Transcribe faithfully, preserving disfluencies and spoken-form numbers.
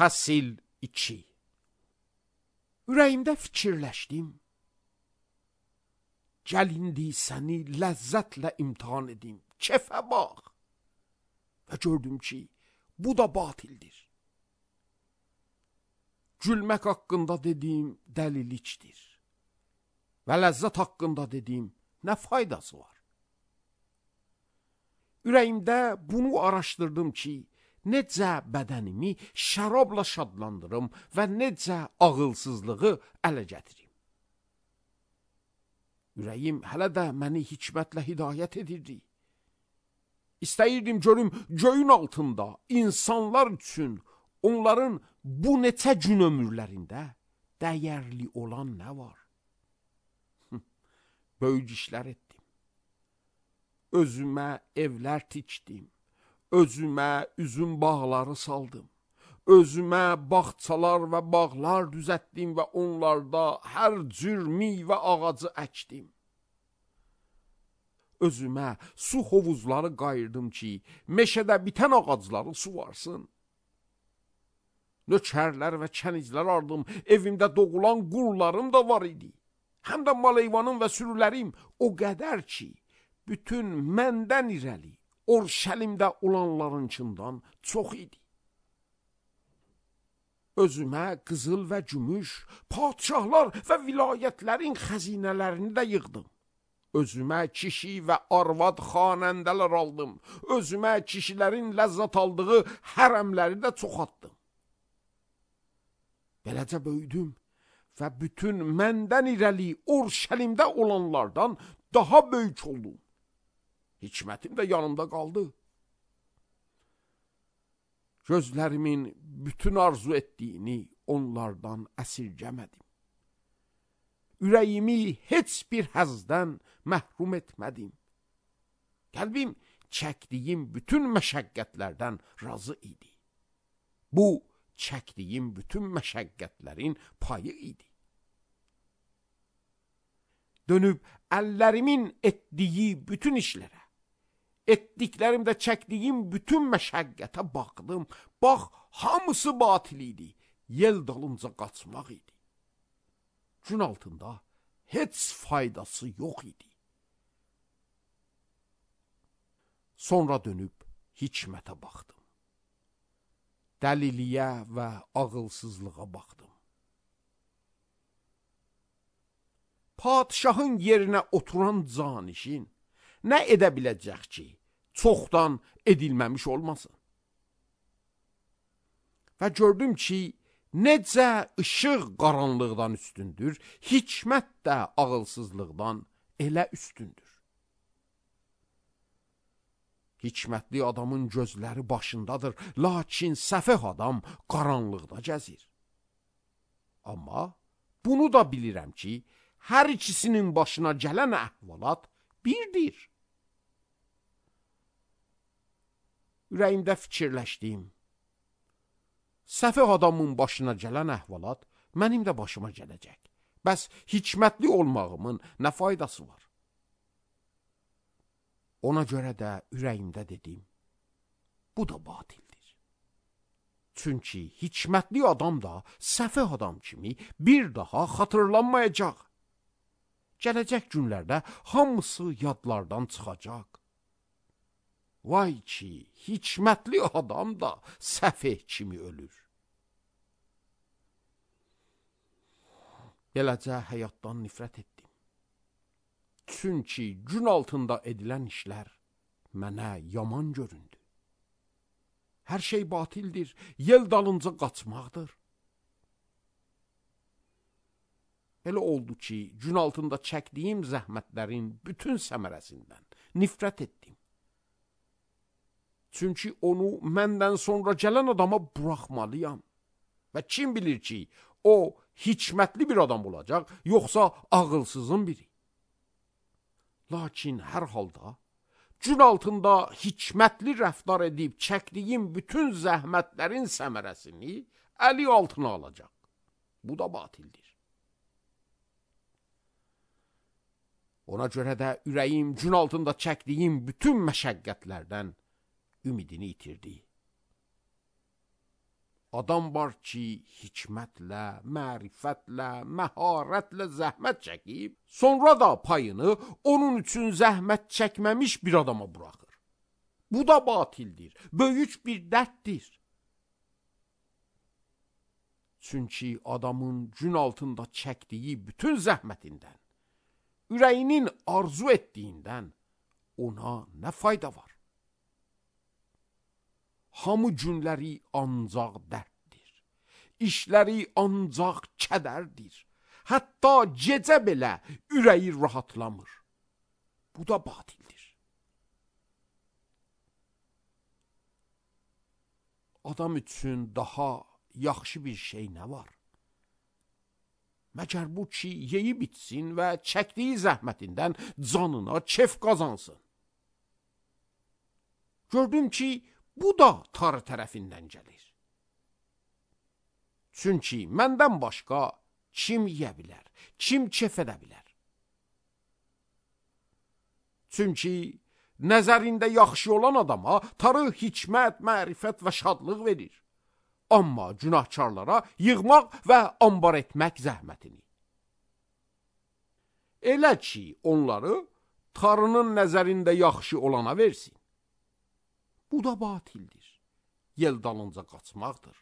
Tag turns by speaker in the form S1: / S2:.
S1: Fəsil iki. Ürəyimdə fikirləşdim. Gəl indi səni ləzzətlə imtihan edim. Kefə bax. Və gördüm ki, bu da batildir. Gülmək haqqında dediyim dəlilikdir. Və ləzzət haqqında dediyim nə faydası var? Ürəyimdə bunu araşdırdım ki, necə bədənimi şərabla şadlandırım və necə ağılsızlığı ələ gətirim. Ürəyim hələ də məni hikmətlə hidayət edirdi. İstəyirdim görüm göyün altında insanlar üçün onların bu neçə gün ömürlərində dəyərli olan nə var? Böyük işlər etdim. Özümə evlər tikdim. Özümə üzüm bağları saldım. Özümə bağçalar və bağlar düzəltdim və onlarda hər cür meyvə ağacı əkdim. Özümə su hovuzları qayırdım ki, meşədə bitən ağacları suvarsın. Nökərlər və kənizlər aldım, evimdə doğulan qullarım da var idi. Həm də mal-heyvanım və sürülərim o qədər ki, bütün məndən irəli Orşəlimdə olanlarınçından çox idi. Özümə qızıl və gümüş, padişahlar və vilayətlərin xəzinələrini də yığdım. Özümə kişi və arvad xanəndələr aldım. Özümə kişilərin ləzzət aldığı hərəmləri də çoxaltdım. Beləcə böyüdüm və bütün məndən irəli Orşəlimdə olanlardan daha böyük oldum. Hikmətim də yanımda qaldı. Gözlərimin bütün arzu etdiyini onlardan əsirgəmədim. Ürəyimi heç bir həzdən məhrum etmədim. Qəlbim çəkdiyim bütün məşəqqətlərdən razı idi. Bu, çəkdiyim bütün məşəqqətlərin payı idi. Dönüb əllərimin etdiyi bütün işlərə, etdiklərimdə çəkdiyim bütün məşəqqətə baxdım. Bax, hamısı batil idi. Yel dalınca qaçmaq idi. Gün altında heç faydası yox idi. Sonra dönüb hikmətə baxdım. Dəliliyə və ağılsızlığa baxdım. Padişahın yerinə oturan canişin nə edə biləcək ki, çoxdan edilməmiş olmasın? Və gördüm ki, necə işıq qaranlıqdan üstündür, hikmət də ağılsızlıqdan elə üstündür. Hikmətli adamın gözləri başındadır, lakin səfeh adam qaranlıqda gəzir. Amma bunu da bilirəm ki, hər ikisinin başına gələn əhvalat birdir. Ürəyimdə fikirləşdim. Səfeh adamın başına gələn əhvalat mənim də başıma gələcək. Bəs hikmətli olmağımın nə faydası var? Ona görə də ürəyimdə dedim, bu da batildir. Çünki hikmətli adam da səfeh adam kimi bir daha xatırlanmayacaq. Gələcək günlərdə hamısı yadlardan çıxacaq. Vay ki, hikmətli adam da səfeh kimi ölür. Beləcə həyatdan nifrət etdim. Çünki gün altında edilən işlər mənə yaman göründü. Hər şey batildir, yel dalınca qaçmaqdır. Elə oldu ki, gün altında çəkdiyim zəhmətlərin bütün səmərəsindən nifrət etdim. Çünki onu məndən sonra gələn adama buraxmalıyam. Və kim bilir ki, o hikmətli bir adam olacaq, yoxsa ağılsızın biri. Lakin hər halda gün altında hikmətli rəftar edib çəkdiyim bütün zəhmətlərin səmərəsini əli altına alacaq. Bu da batildir. Ona görə də ürəyim gün altında çəkdiyim bütün məşəqqətlərdən ümidini itirdi. Adam var ki, hikmətlə, mərifətlə, məharətlə zəhmət çəkib, sonra da payını onun üçün zəhmət çəkməmiş bir adama buraxır. Bu da batildir, böyük bir dərddir. Çünki adamın gün altında çəkdiyi bütün zəhmətindən, ürəyinin arzu etdiyindən ona nə fayda var? Hamı günləri ancaq dərddir, işləri ancaq kədərdir, hətta gecə belə ürəyi rahatlamır. Bu da batildir. Adam üçün daha yaxşı bir şey nə var? Məgər bu ki, yeyib içsin və çəkdiyi zəhmətindən canına kef qazansın. Gördüm ki, bu da tarı tərəfindən gəlir. Çünki məndən başqa kim yeyə bilər, kim kef edə bilər? Çünki nəzərində yaxşı olan adama tarı hikmət, mərifət və şadlıq verir. Amma günahkarlara yığmaq və ambar etmək zəhmətini. Elə ki, onları tarının nəzərində yaxşı olana versin. Bu da batildir. Yel dalınca qaçmaqdır.